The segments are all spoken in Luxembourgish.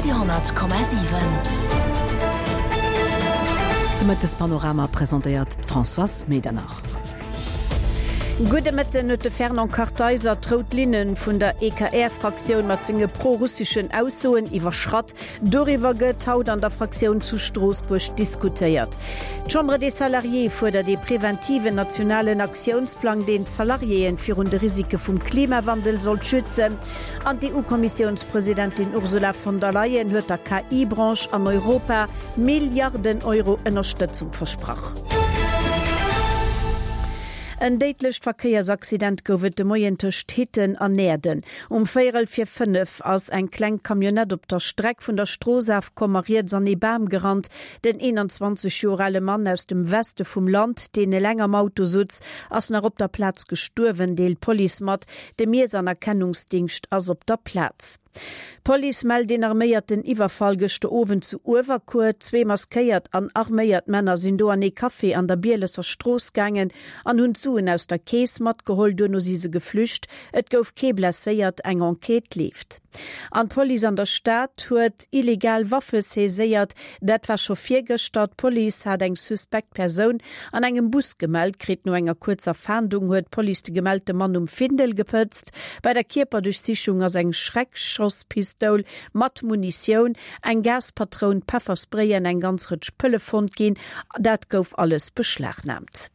Radio 10,7. De Mëttespanorama presentéiert d'Françoise Medernach. Gudde Mëtten. Huet de Fernand Kartheiser d'rout Linne vun der EKR-Fraktioun mat senge pro-russeschen Aussoen iwwerschratt? Doriwwer gëtt haut an der Fraktioun zu Stroossbuerg diskutéiert. D'Chambre des Salariés fuerdert ee preventiven nationalen Aktiounsplang, deen d'Salariéen virun de Risike vum Klimawandel soll schützen. An d'EU-Kommissiounspresidentin Ursula von der Leyen huet der KI-Branche an Europa Milliarden Euro Ënnerstëtzung versprach. En déidlecht Verkéiersaccident gouf et de Moien tëscht Hitten an Näerden. Um véierel vir 5 ass eng kleng Camionnette op der Streck vun der Strooss afkomm a riets an ee Bam gerannt. Den 21 Joer ale Mann aus dem Weste vum Land, deen eleng am Auto sutz, ass nach op der Plaz gestuerwen, deelt d'Police mat. De Miess an Erkennungsdingscht ass op der Plaz. D'Police mellt een arméierten Iwwerfall gëschter Owend zu Uewerkuer. Zwee maskéiert an arméiert Männer sinn do an ee Café an der Bielesser Strooss gaangen an hunn d'Suen aus der Keess matgeholl. Duerno si se geflücht. Et gouf kee blesséiert, eng Enquête leeft. An d'Police an der Stad huet illegal Waffe saiséiert. Dat war scho virgëschter. D'Police hat eng suspekt Persoun an engem Bus gemellt kritt. No enger kuerzer Fahndung huet d'Police de gemellte Mann um Findel gepëtzt. Bei der Kierperduerchsichung ass eng Schreckschosspistoul mat Munitioun, eng Gaspatroun, Pefferspray an eng ganz Rëtsch Pëlle fonnt ginn. Dat gouf alles beschlagnaamt.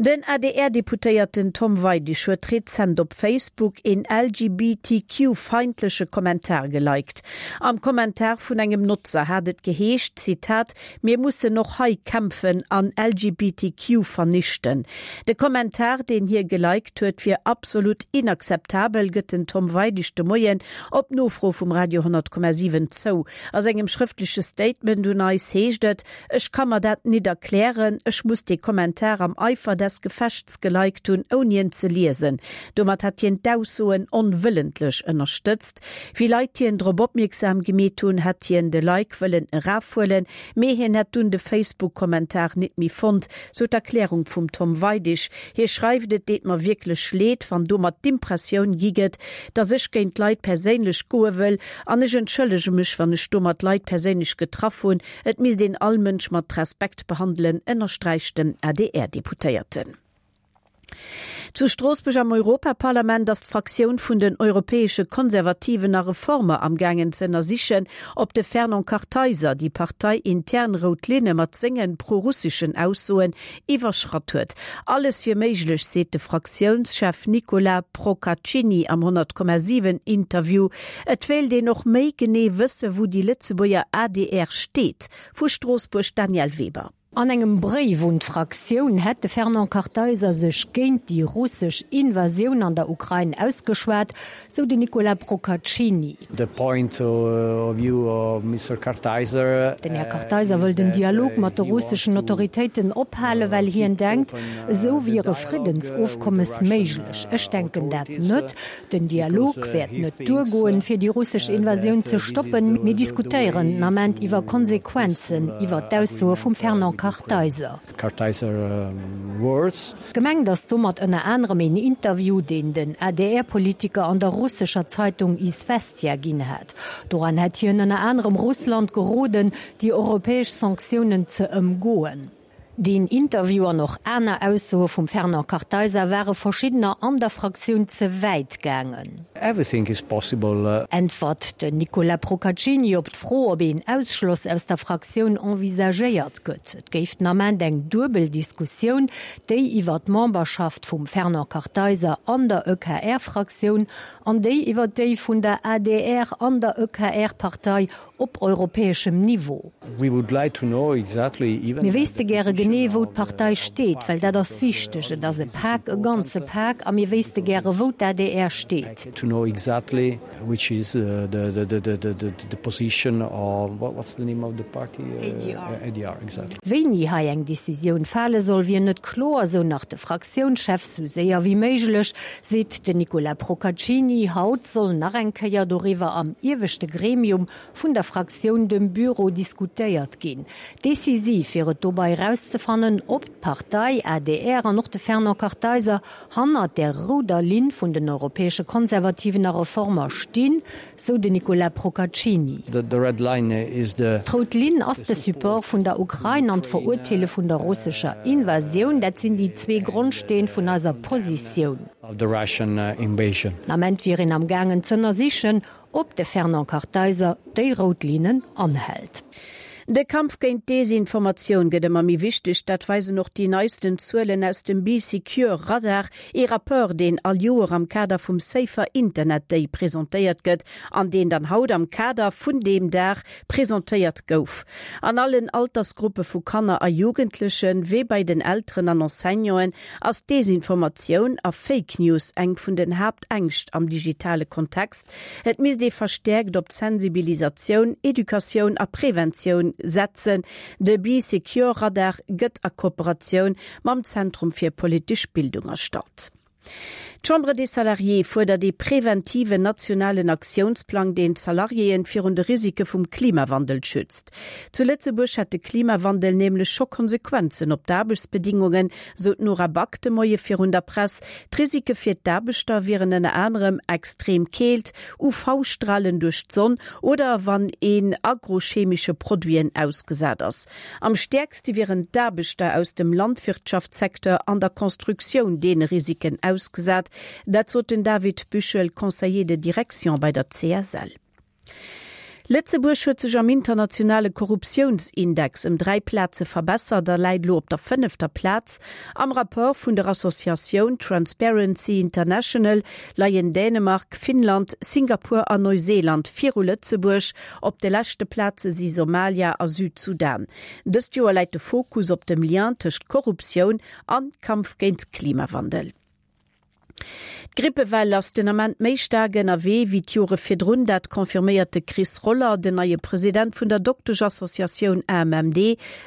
Den ADR-Deputéierten Tom Weidig huet rezent op Facebook een LGBTQ-feindleche Kommentar geliked. Am Kommentar vun engem Notzer hat et geheescht, Zitat, Mir mussen och hei kämpfen an LGBTQ vernichten. De Kommentar, deen hie geliked huet, wier absolut inakzeptabel, gëtt den Tom Weidig de Moien op Nofro vum Radio 10,7 zou. A sengem schrëftleche Statement un eis heescht et, Ech ka mer dat nit erklären. Ech muss dee Kommentar am Eifer des Gefechts geliked hunn, ouni en ze liesen. Domat hätt hien d'Aussoen onwëllentlech ënnerstëtzt. Wéi Leit hien drop opmierksam gemeet hunn, hätt hien de Like wëllen erafhuelen, mee hien hätt dunn de Facebook-Kommentar nit méi fonnt, sou d'Erklärung vum Tom Weidig. Hie schreift, Et deet mer wierklech leed, wann domat d'Impressioun gi gëtt, dass ech géint d'Leit perséinlech goe wëll an ech entschëllege mech, wann ech domat Leit perséinlech getraff hunn. Et misst een all Mënsch mat Respekt behandelen, ënnersträicht den ADR-Deputéierten. Zu Stroossbuerg am Europaparlament ass d'Fraktioun vun den europäesche Konservativen a Reformer am gaangen ze ënnersichen, ob de Fernand Kartheiser déi parteiintern rout Linne mat senge prorusseschen Aussoen iwwerschratt huet. Alles wier méiglech, seet de Fraktiounschef Nicolas Procaccini am 100,7 Interview. Et wéilt een och méi genee wësse wou déi Lëtzebuerger adr steet. Vu Stroossbuerg d'Danièle Weber. An engem Bréif un d'Fraktioun hätt de Fernand Kartheiser sech géint déi russesch Invasioun an der Ukrain ausgeschwat, sou den Nicolas Procaccini. The point of view of Mister Kartheiser. Den Här Kartheiser wëll den Dialog mat de russeschen Autoritéiten ophalen, well hien denkt, esou wier e Friddensofkommes méiglech. Ech denken dat net. Den Dialog wäert net duergoen, fir déi russesch Invasioun ze stoppen. Mir diskutéieren den Ament iwwer Konsequenzen, iwwer d'Aussoe vum Fernand Kartheiser. Kartheiser words. Gemengt ass domat ënner anerem een Interview, deen den ADR-Politiker an der russescher Zeitung Iswestja ginn hat. Doran hätt hien ënner anerem Russland geroden, déi europäesch Sanktiounen ze ëmgoen. Deen Interview an och aner Aussoe vum Fernand Kartheiser ware verschiddener an der Fraktioun ze wäit gaangen. Everything is possible. Äntwert den Nicolas Procaccini op d'Fro, ob een Ausschloss aus der Fraktioun envisagéiert gëtt. Et géif den Ament eng duebel Diskussioun, déi iwwer d'Memberschaft vum Fernand Kartheiser an der EKR-Fraktioun an déi iwwer déi vun der adr an der EKR-Partei op europäeschem Niveau. Mir wéisste gäre genee, wou d'Partei steet, well dat ass wichteg. Et ass e Pak, e ganze Pak, a mir wéisste gäre wou d'ADR steet. Wéini hei eng Decisioun fale soll, wier net kloer, sou nach de Fraktiounschef. Sou séier wéi méiglech, seet den Nicolas Procaccini. Haut soll nach eng Kéier doriwwer am ieweschte Gremium vun der Fraktioun, dem Büro, diskutéiert ginn. Decisiv wier et dobei erauszefannen. erauszefannen, ob d'Partei adr an och de Fernand Kartheiser hannert där rouder Linn vun den europäesche Konservativen a Reformer stinn, sou den Nicolas Procaccini. D'rout Linn ass de Support vun der Ukrain an d'Verurteele vun der russescher Invasioun. Dat sinn déi zwee Grondsteen vun eiser Positioun. Den Ament wier een am gaangen z'ënnersichen, ob de Fernand Kartheiser déi rout Linnen anhält. De Kampf géint d'Desinformatioun gëtt ëmmer méi wichteg. Dat weisen och déi neisten Zuelen aus dem Bee Secure Radar, ee Rapport, deen all Joer am Kader vum Safer Internet Day presentéiert gëtt an deen dann haut am Kader vun deem Dag presentéiert gouf. An allen Altersgruppe vu Kanner a Jugendlechen, wéi bei den Elteren an Enseignanten, ass Desinformatioun a Fake News eng vun den Haaptängscht am digitale Kontext. Et misst ee verstäerkt op d'Sensibilisatioun, Educatioun a Preventioun setzen. De Bee Secure Radar gëtt a Kooperatioun mam Zentrum fir politesch Bildung erstallt. D'Chambre des Salariés fuerdert ee preventiven nationalen Aktiounsplang, deen d'Salariéen virun de Risike vum Klimawandel schützt. Zu Lëtzebuerg hätt de Klimawandel nämlech scho Konsequenzen op d'Aarbechtsbedingungen, sou d'Nora Back de Moie virun der Press. D'Risike fir d'Aarbechter wieren ënner anerem extrem Keelt, UV-Stralen duerch d'Sonn oder wann een agrochemesche Produiten ausgesat ass. Am stäerkste wieren d'Aarbechter aus dem Landwirtschaftssecteur an der Constructioun deene Risiken ausgesat. Dat sot den David Büchel, Conseiller de direction bei der CSL. Lëtzebuerg huet sech am internationale Korruptiounsindex ëm 3 Plaze verbessert a läit elo op der fënnefter Plaz. Am Rapport vun der Associatioun Transparency International leien Dänemark, Finnland, Singapur a Neuseeland viru Lëtzebuerg. Op de leschte Plaze si Somalia a Südsudan. Dëst Joer läit de Fokus op dem Lien tëscht Korruptioun an Kampf géint Klimawandel. D'Grippewell ass den Ament méi staark ënnerwee wéi d'Jore virdrun. Dat confirméiert de Chris Roller, den neie President vun der Dokteschassociatioun AMMD,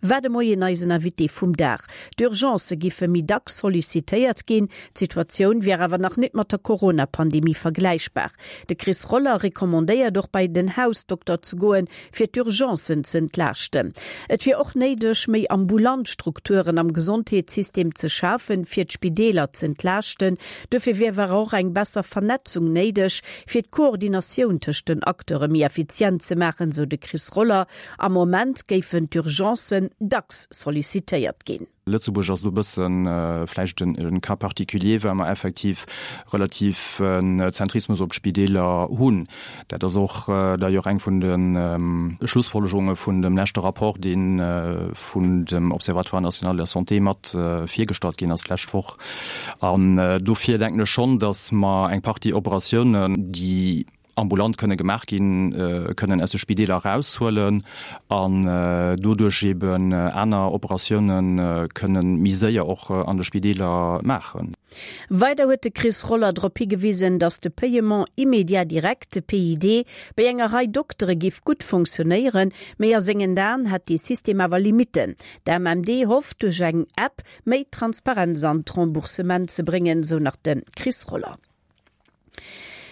war de Moien eisen Invité vum Dag. D'Urgencë giffe méi dacks sollicitéiert ginn. D'Situatioun wier awer nach net mat der Corona-Pandemie vergläichbar. De Chris Roller recommandéiert och bei den Hausdokter ze goen, fir d'Urgencen z'entlaaschten. Et wier och néideg, méi ambulant Strukturen am Gesondheetssystem ze schafen, fir d'Spideeler z'entlaaschten. Dofir wier awer och eng besser Vernetzung néideg, fir d'Koordinatioun tëscht den Acteure méi effizient ze maachen, sou de Chris Roller. Am Moment géifen d'Urgencen dacks sollicitéiert ginn. Lëtzebuerg ass do e bësse vläicht e Cas particulier, well mer effektiv relativ en Zentrismus op d'Spideeler hunn. Dat ass och d'ailleurs eng vun de Schlussfolgerunge vun dem leschte Rapport, dee vun dem Observatoire national de la santé mat virgestallt ginn ass d'lescht Woch. An dofir denken ech schonn, datt mer eng Partie Operatiounen, déi ambulant kënne gemaach ginn, kënnen aus de Spideeler eraushuelen an doduerch eben aner Operatioune kënne méi séier och an de Spideeler maachen. Weider huet de Chris Roller drop higewisen, datt de Paiement immédiat direct, PID, bei enger Rei Doktere giff gutt funktionéieren, mee a sengen Aen hätt dee System awer Limitten. D'AMMD hofft, duerch eng App méi Transparenz an d'Remboursement ze bréngen, sou nach de Chris Roller.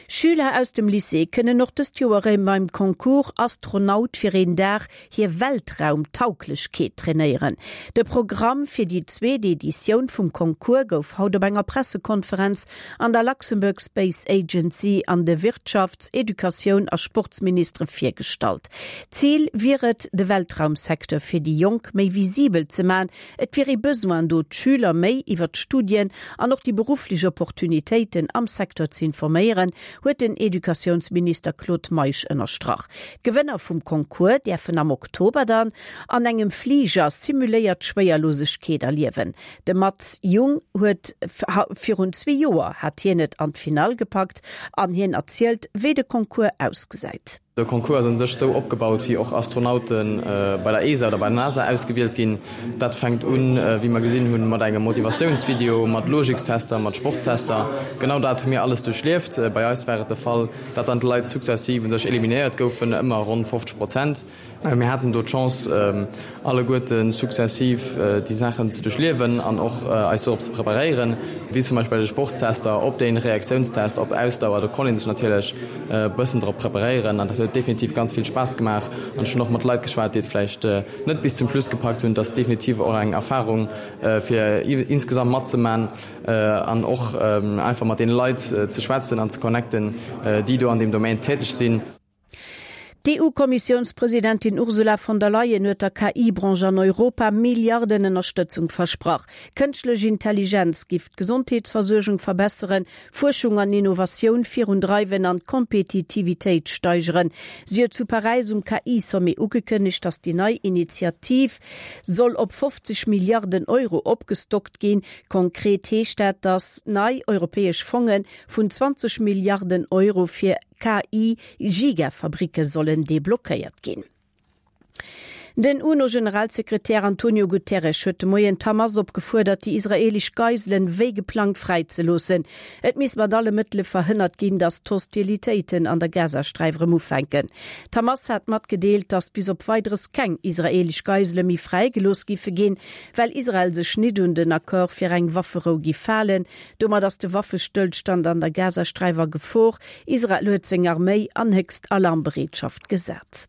Schüler aus dem Lycée kënnen och dëst Joer erëm beim Concours Astronaut fir een Dag hir Weltraumtauglechkeet trainéieren. De Programm fir déi zweet Editioun vum Concours gouf haut op enger Pressekonferenz an der Luxembourg Space Agency an de Wirtschafts-, Educatioun a Sportsministere virgestallt. Zil wier et, de Weltraumsecteur fir déi Jonk méi visibel ze man, Et wier ee Besoin do, d'Schüler méi iwwer d'Studien an och déi berufflech Opportunitéiten am Secteur ze informéieren, huet den Educatiounsminister Claude Meisch ënnerstrach. D'Gewënner vum Concours däerfen am Oktober dann an engem Fliger simuléiert Schwéierlosegkeet erliewen. De Mats Jung huet virun zwee Joer hat hien et an d'Finall gepackt an hien erzielt, wéi de Concours ausgesäit. De Concours ass un sech sou opgebaut, wéi och Astronaute bei der ESA oder bei der NASA ausgewielt ginn. Dat fänkt un, wéi mer gesinn hunn, mat engem Motivatiounsvideo, mat Logikstester, mat Sportstester. Genau dat hu mir alles duerchlieft. Bei eis war et de Fall, dat dann d'Leit sukzessiv un sech eliminéiert goufen, ëmmer ronn 50 Prozent. Mir haten do d'Chance, alleguerte sukzessiv déi Saachen ze duerchliewen an och eis dorop ze preparéieren, wéi zum Beispill bei de Sportstester, op de Reaktiounstest, op Ausdauer. Do konnt ee sech natierlech e bëssen drop preparéieren an dat huet. Et huet definitiv ganz vill Spaass gemaach an ech hunn och mat Leit geschwat, déi et vläicht net bis zum Schluss gepackt hunn. Et ass definitiv och eng Erfarung fir insgesamt matzeman an och einfach mat deene Leit ze schwätzen an ze connecten, déi do an deem Domaine täteg sinn. D'EU-Kommissiounspresidentin Ursula von der Leyen huet der KI-Branche an Europa Milliarden Ënnerstëtzung versprach. Kënschtlech Intelligenz giff d'Gesondheetsversuergung verbesseren, Fuerschung an Innovatioun virundreiwen an d'Kompetitivitéit steigeren. Si huet zu Paräis um KI-Sommet ugekënnegt, datt déi nei Initiativ soll op 50 Milliarden Euro opgestockt ginn. Konkret heescht dat, datt nei europäesch Fonge vun 20 Milliarden Euro fir KI-Gigafabricke sollen deblockéiert ginn. Den UNO-Generalsekretär Antonio Guterres huet de Moien d'Hamas opgefuerdert, déi israeelesch Geiselen wéi geplangt fräizeloossen. Et misst mat alle Mëttele verhënnert ginn, datt d'Hostilitéiten an der Gazasträif erëm ufänken. D'Hamas hat matgedeelt, datt bis op Weideres keng israeelesch Geisele méi fräigelooss giffe ginn, well Israel sech nit un den Accord fir eng Wafferou giff halen. Domat ass de Waffestëllstand an der Gazasträif a Gefor. Israel huet seng Arméi an héchst Alarmbereetschaft gesat.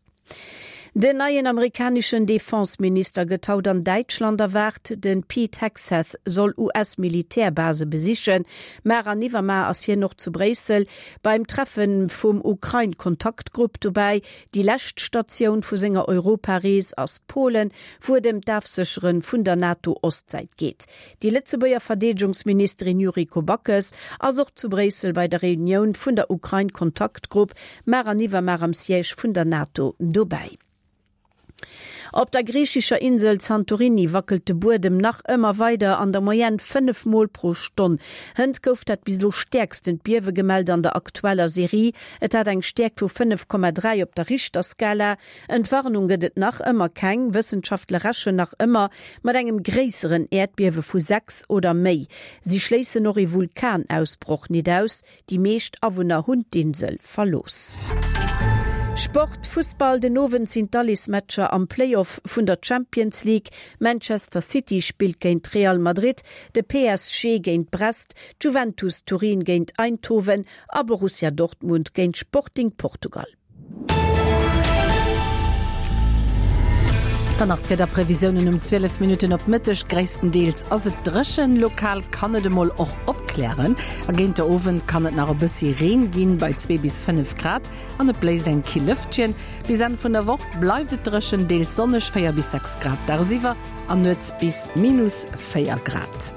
Den neien amerikaneschen Defense-Minister gëtt haut an Däitschland erwaart. De Pete Hegseth soll US-Militärbase besichen. Mar an iwwermar ass hien och zu Bréissel beim Treffe vum Ukrain-Kontaktgrupp dobäi. Déi lescht Statioun vu senger Europarees ass Polen, wou et ëm d'Afséchere vun der NATO-Ostsäit geet. Déi Lëtzebuerger Verdeedegungsministerin Yuriko Backes ass och zu Bréissel bei der Reunioun vun der Ukrain-Kontaktgrupp mar an iwwermar am Siège vun der NATO dobäi. Op der griichescher Insel Santorini wackelt de Buedem nach ëmmer weider, an der Moyenne 5 Mol pro Stonn. Hënt gouf dat bis elo stäerkstent Biewe gemellt an der aktueller Serie. Et hat eng Stäerkt vu 5,3 op der Richterskala. Entwarnung gëtt et nach ëmmer keng, Wëssenschaftler rechen nach ëmmer mat engem gréisseren Äerdbiewe vu 6 oder méi. Si schléissen och ee Vulkanausbroch nit aus. Déi meescht Awunner hunn d'Insel verlooss. Sport, Fussball, Den Owend sinn d'Alleesmatcher am Play-Off vun der Champions League. Manchester City spillt géint Real Madrid, de PSG géint Brest, d'Juventus Turin géint Eindhoven a Borussia Dortmund géint Sporting Portugal. Dann nach d'Wiederprevisiounen um 12 Minutten op Mëtteg. Gréisstendeels ass et dréchen, lokal kann et emol och opklären a géint de Owend kann et nach e bëssi Reen ginn, bei 2 bis 5 Grad an et bléist eng kill Lëftchen. Bis Enn vun der Woch bleift et dréchen, deels sonneg, 4 bis 6 Grad dagsiwwer an nuets bis minus 4 Grad.